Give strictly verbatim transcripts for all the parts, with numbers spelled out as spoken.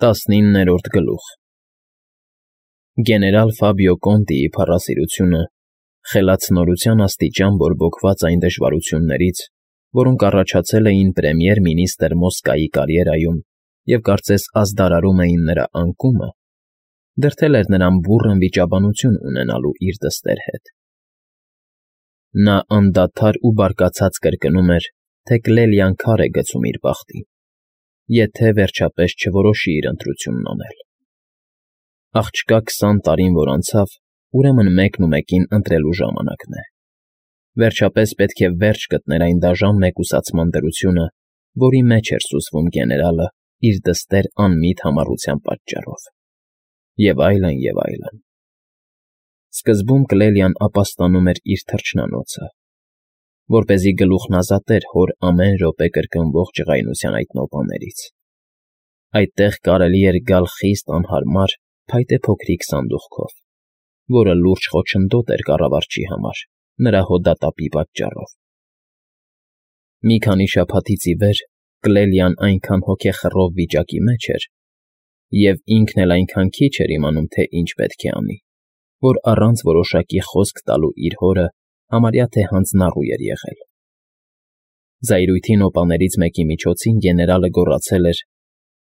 Տասնիններորդ գլուխ Գեներալ Ֆաբիո Կոնտիի փառասիրությունը, խելացնորության աստիճան բորբոքված այն դժվարություններից, որոնք առաջացել էին պրեմիեր֊մինիստր Մոսկայի կարիերայում և կարծես ազդարարում էին նրա անկումը, դրդել էր նրան բուռն վիճաբանություն ունենալու իր դստեր հետ. նա անդադար ու բարկացած կրկնում էր, թե Կլելիան քար է գցում իր բախտին, եթե, վերջապես, չորոշի իր ընտրությունն անել. աղջկա քսան տարին որ անցավ, ուրեմն մեկնումեկին ընտրելու ժամանակն է, վերջապես պետք է վերջ գտներ այն դաժան մեկուսացման դրությունը, որի մեջ էր սուզվում գեներալը իր դստեր անմիտ համառության պատճառով, և այլն, և այլն. Սկզբում Կլելիան ապաստանում էր իր թռչնանոցը, որպեսզի գլուխն ազատեր հոր ամեն րոպե կրկնվող ջղայնության այդ նոպաներից. այդտեղ կարելի էր գալ խիստ անհարմար, փայտե փոքրիկ սանդուղքով, որը լուրջ խոչընդոտ էր կառավարչի համար նրա հոդատապի պատճառով. Մի քանի շաբաթից ի վեր Կլելիան այնքան հոգեխռով վիճակի մեջ էր, և ինքն էլ այնքան քիչ էր իմանում, թե ինչ պետք է անի, որ առանց որոշակի խոսք տալու իր հորը համարյա թե հանձնառու էր եղել. Զայրույթի նոպաներից մեկի միջոցին գեներալը գոռացել էր,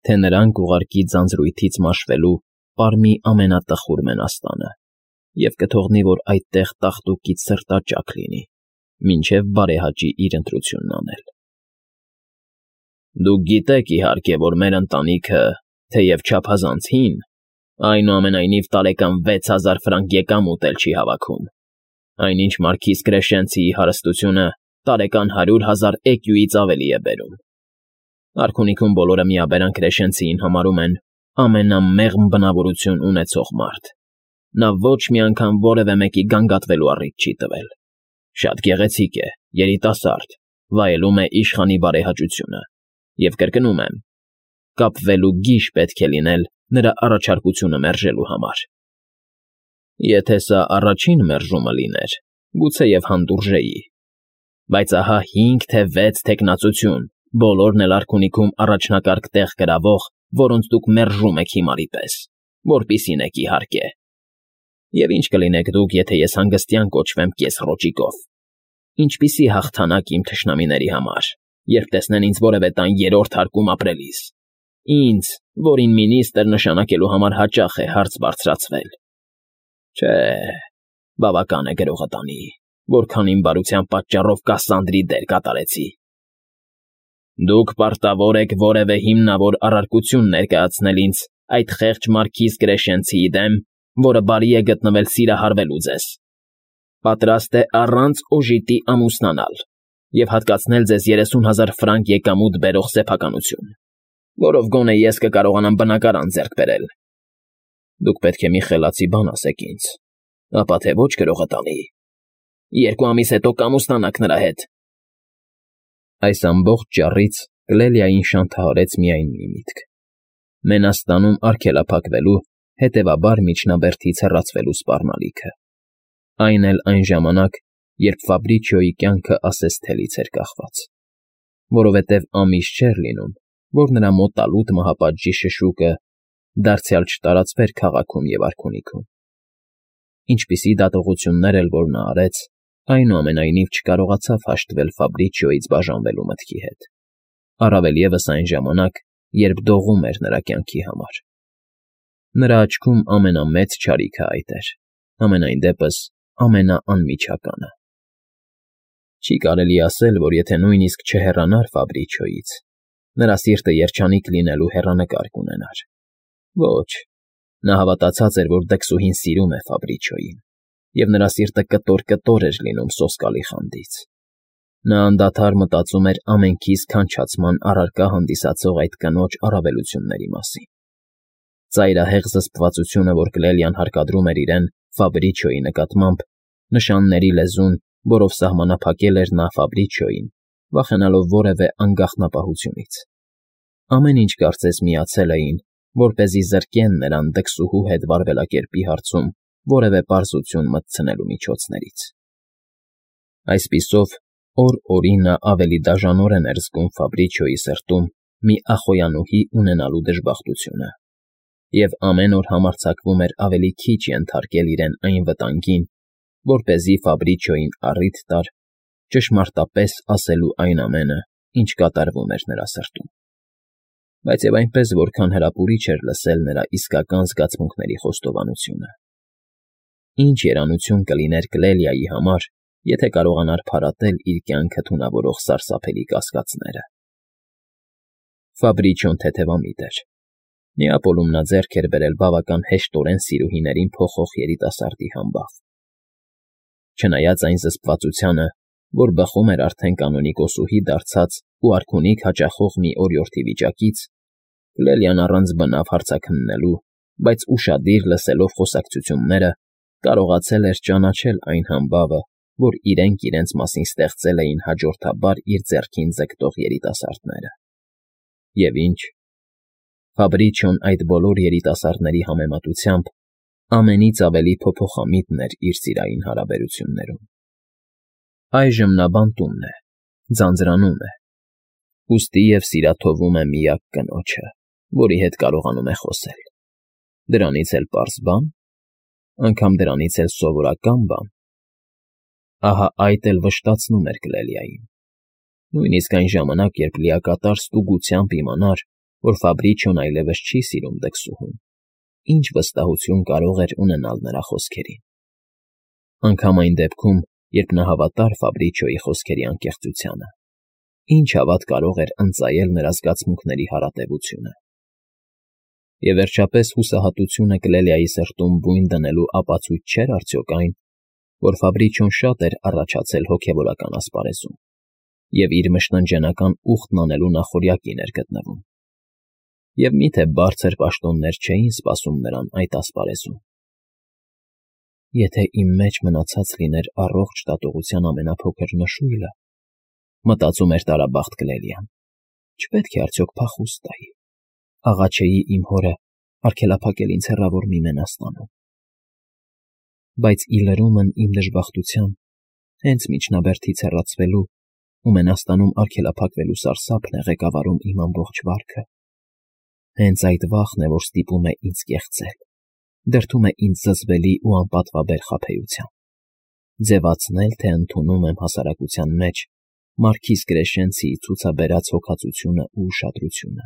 թե նրանք ուղարկի ձանձրույթից մաշվելու պարմի ամենատխուր մենաստանը և կթողնի, որ այդտեղ տաղտուկից սրտաճաք լինի, մինչև բարեհաճի իր ընտրությունն անել։ Դուք գիտեք, իհարկե, որ մեր ընտանիքը, թեև չափազանց հին, այնուամենայնիվ տարեկան վեց հազար ֆրանկ եկամուտ էլ չի հավաքում, այնինչ մարքիզ Կրեշենցիի հարստությունը տարեկան հարյուր հազար էկյուից ավելի է բերում։ Արքունիքում բոլորը միաբերան Կրեշենցիին համարում են ամենամեղմ բնավորություն ունեցող մարդ։ Նա ոչ մի անգամ որևէ մեկի գանգատվելու առիթ չի տվել։ Շատ գեղեցիկ է, երիտասարդ, վայելում է իշխանի բարեհաճությունը, և կրկնում եմ, կապվելու գիժ պետք է լինել նրա առաջարկությունը մերժելու համար։ Եթե սա առաջին մերժումը լիներ, գուցեև հանդուրժեի, բայց ահա հինգ թե վեց թեկնածություն, բոլորն էլ արքունիքում առաջնակարգ տեղ գրավող, որոնց դուք մերժում եք հիմարի պես, որպիսին եք իհարկե։ Եվ ինչ կլինեք դուք, եթե ես հանգստյան կոչվեմ կես֊ռոճիկով, ինչպիսի հաղթանակ իմ թշնամիների համար, երբ տեսնեն ինձ որևէ տան երրորդ հարկում ապրելիս, ինձ, որին մինիստր նշանակելու համար հաճախ է հարց բարձրացվել։ Չէ, բավական է գրողը տանի, որքան իմ բարության պատճառով Կասանդրի դեր կատարեցի։ Դուք պարտավոր եք որևէ հիմնավոր առարկություն ներկայացնել ինձ այդ խեղճ մարքիզ Կրեշենցիի դեմ, որը բարի է գտնվել սիրահարվելու ձեզ, պատրաստ է առանց օժիտի ամուսնանալ և հատկացնել ձեզ երեսուն հազար ֆրանկ եկամուտ բերող սեփականություն, որով գոնե ես կկարողանամ բնակարան ձեռք բերել։ Դուք պետք է մի խելացի բան ասեք ինձ, ապա թե ոչ գրողը տանի, երկու ամիս հետո կամուսնանաք նրա հետ։ Այս ամբողջ ճառից Կլելիային շանթահարեց միայն մի միտք. մենաստանում արգելափակվելու, հետևաբար միջնաբերդից հեռացվելու սպառնալիքը, այն էլ այն ժամանակ, երբ Ֆաբրիչիոյի կյանքը ասես թելից էր կախված, որովհետև ամիս չէր լինում, որ նրա մոտալուտ մահապատժի շշուկը դարձյալ չտարածվեր քաղաքում և արքունիքում։ Ինչպիսի դատողություններ էլ որ նա արեց, այնուամենայնիվ չկարողացավ հաշտվել Ֆաբրիչիոյից բաժանվելու մտքի հետ, առավել ևս այն ժամանակ, երբ դողում էր նրա կյանքի համար։ Նրա աչքում ամենամեծ չարիքը այդ էր, համենայն դեպս ամենաանմիջականը։ Չի կարելի ասել, որ եթե նույնիսկ չհեռանար Ֆաբրիչիոյից, նրա սիրտը երջանիկ լինելու հեռանկար կունենար։ Ոչ, նա հավատացած էր, որ դքսուհին սիրում է Ֆաբրիչիոյին, և նրա սիրտը կտոր֊կտոր էր լինում սոսկալի խանդից։ Նա անդադար մտածում էր ամենքից քանչացման առարկա հանդիսացող այդ կնոջ առավելությունների մասին։ Ծայրահեղ զսպվածությունը, որ Կլելիան հարկադրում էր իրեն Ֆաբրիչիոյի նկատմամբ, նշանների լեզուն, որով սահմանափակել էր նա Ֆաբրիչիոյին, վախենալով որևէ անգաղտնապահությունից։ Ամեն ինչ կարծես միացել էին, որպեսզի զրկեն նրան դքսուհու հետ վարվելակերպի հարցում որևէ պարզություն մտցնելու միջոցներից։ Այսպիսով, օր օրի նա ավելի դաժանորեն էր զգում Ֆաբրիչիոյի սրտում մի ախոյանուհի ունենալու դժբախտությունը, և ամեն օր համարձակվում էր ավելի քիչ ենթարկել իրեն այն վտանգին, որպեսզի Ֆաբրիչոյին առիթ տար ճշմարտապես ասելու այն ամենը, ինչ կատարվում էր նրա սրտում, բայց և այնպես, որքան հրապուրիչ էր լսել նրա իսկական զգացմունքների խոստովանությունը. ինչ երանություն կլիներ Կլելիայի համար, եթե կարողանար փարատել իր կյանքը թունավորող սարսափելի կասկածները։ Ֆաբրիչոն թեթևամիտ էր։ Նեապոլում նա ձեռք էր բերել բավական հեշտորեն սիրուհիներին փոխող երիտասարդի համբավ։ Չնայած այն զսպվածությանը, որ բխում էր արդեն կանոնիկոսուհի դարձած ու արքունիք հաճախող մի օրիորդի վիճակից, Կլելիան առանց բնավ հարցաքննելու, բայց ուշադիր լսելով խոսակցությունները, կարողացել էր ճանաչել այն համբավը, որ իրենք իրենց մասին ստեղծել էին հաջորդաբար իր ձեռքին ձգտող երիտասարդները։ Եվ ինչ։ Ֆաբրիչոն այդ բոլոր երիտասարդների համեմատությամբ ամենից ավելի փոփոխամիտն էր իր սիրային հարաբերություններում։ Այժմ նա բանտումն է, ձանձրանում է, ուստի և սիրաթովում է միակ կնոջը, որի հետ կարողանում է խոսել։ Դրանից էլ պարզ բա՞ն, անգամ դրանից էլ սովորական բան։ Ահա այդ էլ վշտացնում էր Կլելիային։ Նույնիսկ այն ժամանակ, երբ լիակատար ստուգությամբ իմանար, որ Ֆաբրիչոն այլևս չի սիրում դքսուհուն, ինչ վստահություն կարող էր ունենալ նրա խոսքերին։ Անգամ այն դեպքում, երբ նա հավատար Ֆաբրիչոյի խոսքերի անկեղծությանը, ինչ հավատ կարող էր ընծայել նրա զգացմունքների հարատևությունը։ Եվ վերջապես հուսահատությունը Կլելիայի սրտում բույն դնելու ապացույց չէր արդյոք այն, որ Ֆաբրիչոն շատ էր առաջացել հոգևորական ասպարեզում և իր մշտնջենական ուխտն անելու նախօրյակին էր գտնվում։ Եվ մի՞թե բարձր պաշտոններ չէին սպասում նրան այդ ասպարեզում։ Եթե իմ մեջ մնացած լիներ առողջ դատողության ամենափոքր նշույլը, մտածում էր տարաբախտ Կլելիան, չպետք է արդյոք փախուստ տայի, աղաչեի իմ հորը արգելափակել ինձ հեռավոր մի մենաստանում։ Բայց ի լրումն իմ դժբախտության, հենց միջնաբերդից հեռացվելու ու մենաստանում արգելափակվելու սարսափն է ղեկավարում իմ ամբողջ վարքը։ Հենց այդ վախն է, որ ստիպում է ինձ կեղծել, դրդում է ինձ զզվելի ու անպատվաբեր խաբեությամբ, ձևացնել, թե ընդունում եմ հասարակության մեջ Մարքիզ Կրեշենցիի ցուցաբերած հոգածությունը ու ուշադրությունը։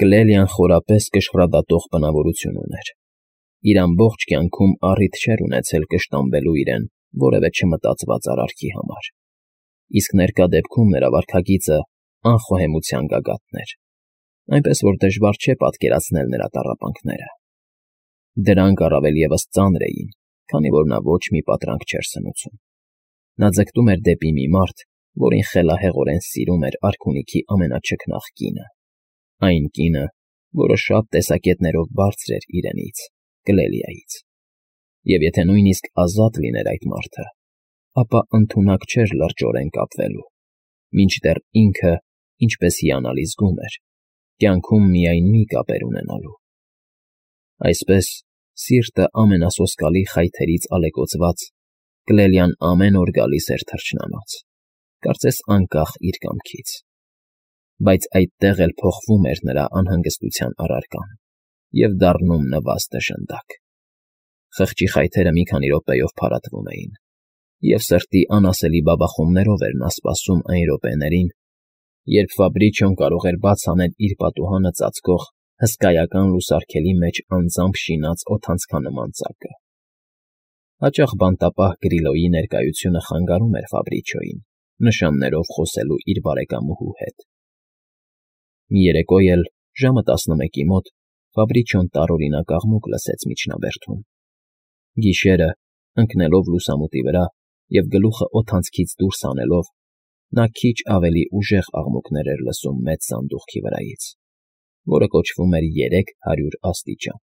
Կլելիան խորապես կշռադատող բնավորություն ուներ։ Իր ամբողջ կյանքում առիթ չէր ունեցել կշտամբելու իրեն որևէ չմտածված արարքի համար, իսկ ներկա դեպքում նրա վարքագիծը անխոհեմության գագաթն էր, այնպես որ դժվար չէ պատկերացնել նրա տառապանքները։ Դրանք առավել ևս ծանր էին, քանի որ նա ոչ մի պատրանք չէր սնուցում։ Նա ձգտում էր դեպի մի մարդ, որին խելահեղորեն սիրում էր արքունիքի ամենաչքնաղ կինը, այն կինը, որը շատ տեսակետներով բարձր էր իրենից, Կլելիայից։ Եվ եթե նույնիսկ ազատ լիներ այդ մարդը, ապա ընդունակ չէր լրջորեն կապվելու, մինչդեռ ինքը, ինչպես հիանալի զգում էր, կյանքում միայն մի կապ էր ունենալու։ Այսպես, սիրտը ամենասոսկալի խայթերից ալեկոծված, Կլելիան ամեն օր գալիս էր թռչնանոց, կարծես անկախ իր կամքից։ Բայց այդտեղ էլ փոխվում էր նրա անհանգստության առարկան և դառնում նվազ դժնդակ։ Խղճի խայթերը մի քանի րոպեով փարատվում էին, և սրտի անասելի բաբախումներով էր նա սպասում այն րոպեներին, երբ Ֆաբրիչոն կարող էր բաց անել իր պատուհանը ծածկող հսկայական լուսարգելի մեջ անձամբ շինած օդանցքանման ծակը։ Հաճախ բանտապահ Գրիլոյի ներկայությունը խանգարում էր Ֆաբրիչոյին նշաններով խոսելու իր բարեկամուհու հետ։ Մի երեկո էլ, ժամը տասնմեկի մոտ, Ֆաբրիչոն տարօրինակ աղմուկ լսեց միջնաբերդում։ Գիշերը, ընկնելով լուսամուտի վրա և գլուխը օդանցքից դուրս հանելով, նա քիչ ավելի ուժեղ աղմուկներ էր լսում մեծ սանդուղքի վրայից, որը կոչվում էր երեք հարյուր աստիճան,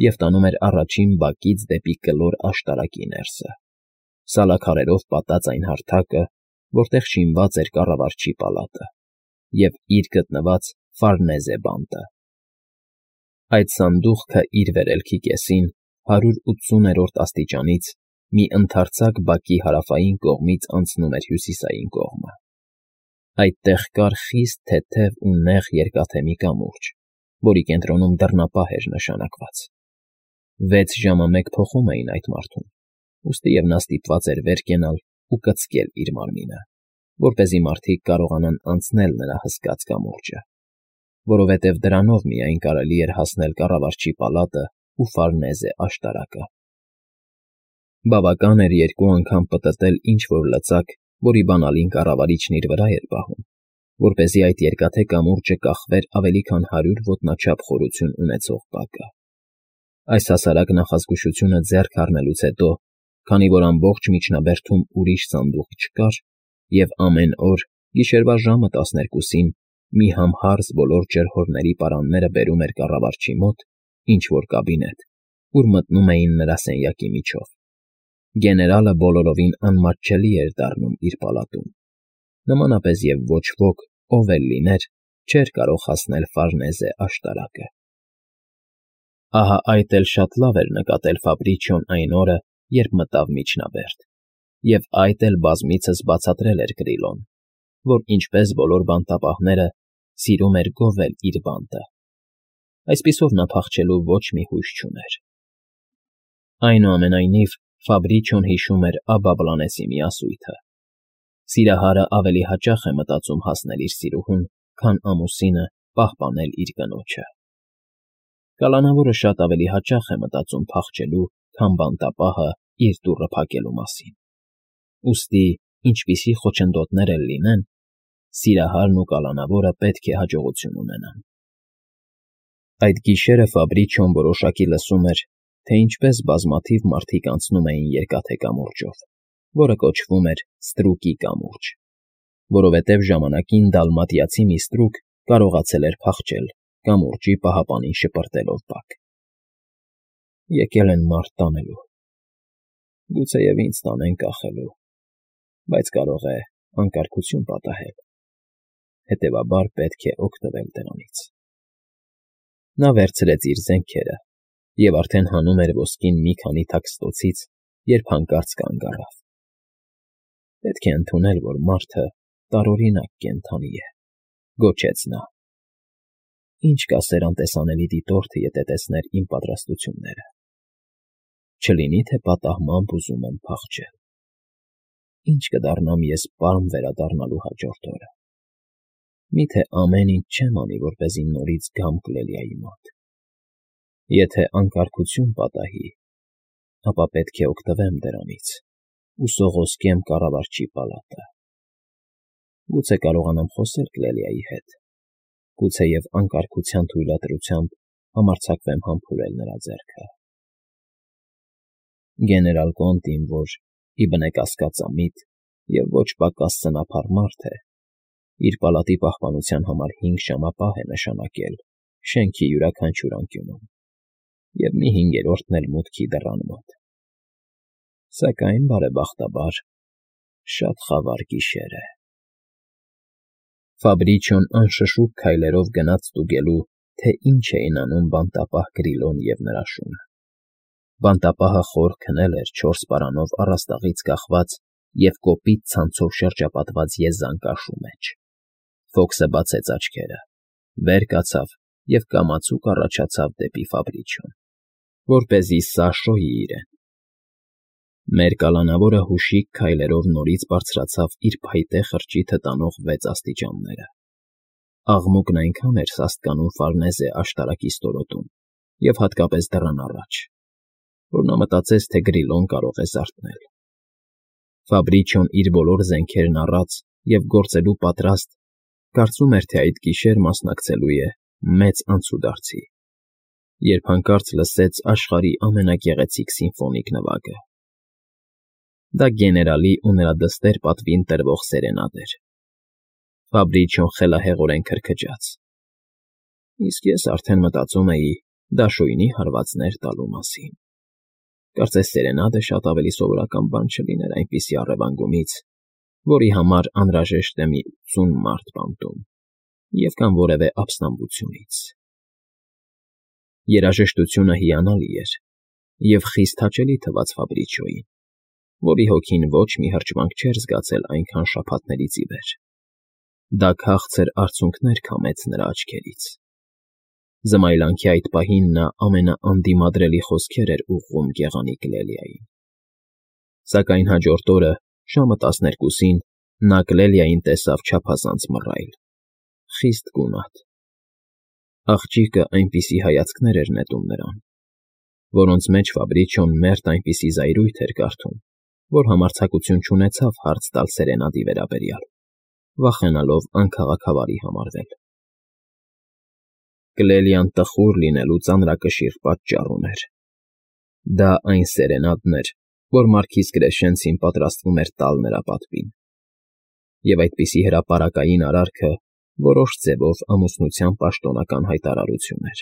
և տանում էր առաջին բակից դեպի կլոր աշտարակի ներսը, սալաքարերով պատած այն հարթակը, որտեղ շինված էր կառավարչի պալատը, և իր գտնված Ֆարնեզե բանտը։ Այդ սանդուղքը իր վերելքի կեսին հարյուր ութսուներորդ աստիճանից մի ընդարձակ բակի հարավային կողմից անցնում էր հյուսիսային կողմը։ Այդտեղ կար խիստ թեթև ու նեղ երկաթե մի կամուրջ, որի կենտրոնում դռնապահ էր նշանակված։ Վեց ժամը մեկ փոխում էին այդ մարդուն, ուստիև նա ստիպված էր վեր կենալ ու կծկել իր մարմինը, որպեսզի մարդիկ կարողանան անցնել նրա հսկաց կամուրջը, որովհետև դրանով միայն կարելի էր հասնել կառավարչի պալատն ու Ֆարնեզե աշտարակը։ Բավական էր երկու անգամ պտտել ինչ-որ լծակ, որի բանալին կառավարիչն իր վրա էր պահում, որպեսզի այդ երկաթե կամուրջը կախվեր ավելի քան հարյուր ոտնաչափ խորություն ունեցող բակը։ Այս հասարակ նախազգուշությունը ձեռք առնելուց հետո, քանի որ ամբողջ միջնաբերդում ուրիշ սանդուղք չկար, և ամեն օր, գիշերվա ժամը տասներկուսին, մի համհարձ բոլոր ջրհորների պարանները բերում էր կառավարչի մոտ ինչ֊որ կաբինետ, ուր մտնում էին նրա սենյակի միջով։ Գեներալը բոլորովին անմատչելի էր դառնում իր պալատում, նմանապես և ոչ ոք, ով էլ լիներ, չէր կարող հասնել Ֆարնեզե աշտարակը։ Ահա այդ էլ շատ լավ էր նկատել Ֆաբրիչոն այն օրը, երբ մտավ միջնաբերդ, և այդ էլ բազմիցս բացատրել էր Կրիլոն, որ ինչպես բոլոր բանտապահները, սիրում էր գովել իր բանտը։ Այսպիսով նա փախչելու ոչ մի հույս չուներ։ Այնուամենայնիվ, Ֆաբրիչոն հիշում էր Աբաբլանեսի մի ասույթը. «Սիրահարը ավելի հաճախ է մտածում հասնել իր սիրուհուն, քան ամուսինը պահպանել իր կնոջը»։ Կալանավորը շատ ավելի հաճախ է մտածում փախչելու, քան բանտապահը իր դուռը փակելու մասին։ Ուստի, ինչպիսի խոչընդոտներ էլ լինեն, սիրահարն ու կալանավորը պետք է հաջողություն ունենան։ Այդ գիշերը Ֆաբրիչոն որոշակի լսում էր, թե ինչպես բազմաթիվ մարդիկ անցնում էին երկաթե կամուրջով, որը կոչվում էր Ստրուկի կամուրջ, որովհետև ժամանակին դալմատիացի մի ստրուկ կարողացել էր փախչել, կամուրջի պահապանին շպրտելով բակ։ Եկել են մարդ տանելու, գուցեև ինձ տանեն կախելու, բայց կարող է անկարգություն պատահել, հետևաբար պետք է օգտվել դրանից։ Նա վերցրեց իր զենքերը և արդեն հանում էր ոսկին մի քանի թաքստոցից, երբ հանկարծ կանգ առավ։ Պետք է ընդունել, որ մարդը տարօրինակ կենդանի է, գոչեց նա։ Ինչ կասեր անտեսանելի դիտորդը, եթե տեսներ իմ պատրաստությունները։ Չլինի թե պատահմամբ ուզում եմ փախչել։ Ինչ կդառնամ ես պարմ վերադառնալու հաջորդ օրը։ Միթե ամեն ինչ չեմ անի, որպեսզի նորից գամ Կլելիայի մոտ։ Եթե անկարգություն պատահի, ապա պետք է օգտվեմ դրանից ու սողոսկեմ կառավարչի պալատը։ Գուցե կարողանամ խոսել Կլելիայի հետ, գուցեև անկարգության թույլատրությամբ համարձակվեմ համբուրել նրա ձեռքը։ Գեներալ Կոնտին, որ, ի բնե կասկածամիտ և ոչ պակաս սնափառ մարդ է, իր պալատի պահպանության համար հինգ ժամապահ է նշանակել շենքի յուրաքանչյուր անկյունում և մի հինգերորդն էլ մուտքի դռան մոտ։ Սակայն, բարեբախտաբար, շատ խավար գիշեր է։ Ֆաբրիչոն անշշուկ քայլերով գնաց ստուգելու, թե ինչ էին անում բանտապահ Կրիլոն և նրա շունը։ Բանտապահը խոր քնել էր չորս պարանով առաստաղից կախված և կոպիտ ցանցով շրջապատված եզան կաշու մեջ։ Ֆոքսը բացեց աչքերը, վեր կացավ և կամացուկ առաջացավ դեպի Ֆաբրիչոն, որպեսզի սա շոյի իրեն։ Մեր կալանավորը հուշիկ քայլերով նորից բարձրացավ իր փայտե խրճիթը տանող վեց աստիճանները։ Աղմուկն այնքան էր սաստկանում Ֆարնեզե աշտարակի ստորոտում և հատկապես դռան առաջ, որ նա մտածեց, թե Գրիլոն կարող է զարթնել։ Ֆաբրիչոն իր բոլոր զենքերն առած և գործելու պատրաստ, կարծում էր, թե այդ գիշեր մասնակցելու է մեծ անցուդարձի, երբ հանկարծ լսեց աշխարհի ամենագեղեցիկ սիմֆոնիկ նվագը։ Դա գեներալի ու նրա դստեր պատվին տրվող սերենադ էր։ Ֆաբրիչոն խելահեղորեն քրքջաց։ Իսկ ես արդեն մտածում էի դաշույնի հարվածներ տալու մասին։ Կարծես սերենադը շատ ավելի սովորական բան չլիներ այնպիսի առևանգումից, որի համար անհրաժեշտ է մի ութսուն մարդ բանտում և կամ որևէ ապստամբությունից։ Երաժշտությունը հիանալի էր և խիստ հաճելի թվաց Ֆաբրիչոյին, որի հոգին ոչ մի հրճվանք չէր զգացել այնքան շաբաթներից ի վեր։ Դա քաղցր արցունքներ քամեց նրա աչքերից։ Զմայլանքի այդ պահին նա ամենաանդիմադրելի խոսքեր էր ուղղում գեղանկարի Կլելիային։ Սակայն հաջորդ օրը, ժամը տասներկուսին, նա Կլելիային տեսավ չափազանց մռայլ, խիստ գունատ։ Աղջիկը այնպիսի հայացքներ էր նետում նրան, որոնց մեջ Ֆաբրիչոն մերթ այնպիսի զայրույթ էր կարդում, որ համարձակություն չունեցավ հարց տալ սերենադի վերաբերյալ, վախենալով անքաղաքավարի համարվել։ Կլելիան տխուր լինելու ծանրակշիռ պատճառ ուներ։ Դա այն սերենադն էր, որ մարքիզ Կրեշենցին պատրաստվում էր տալ նրա պատվին, և այդպիսի հրապարակային արարքը որոշ ձևով ամուսնության պաշտոնական հայտարարություն էր։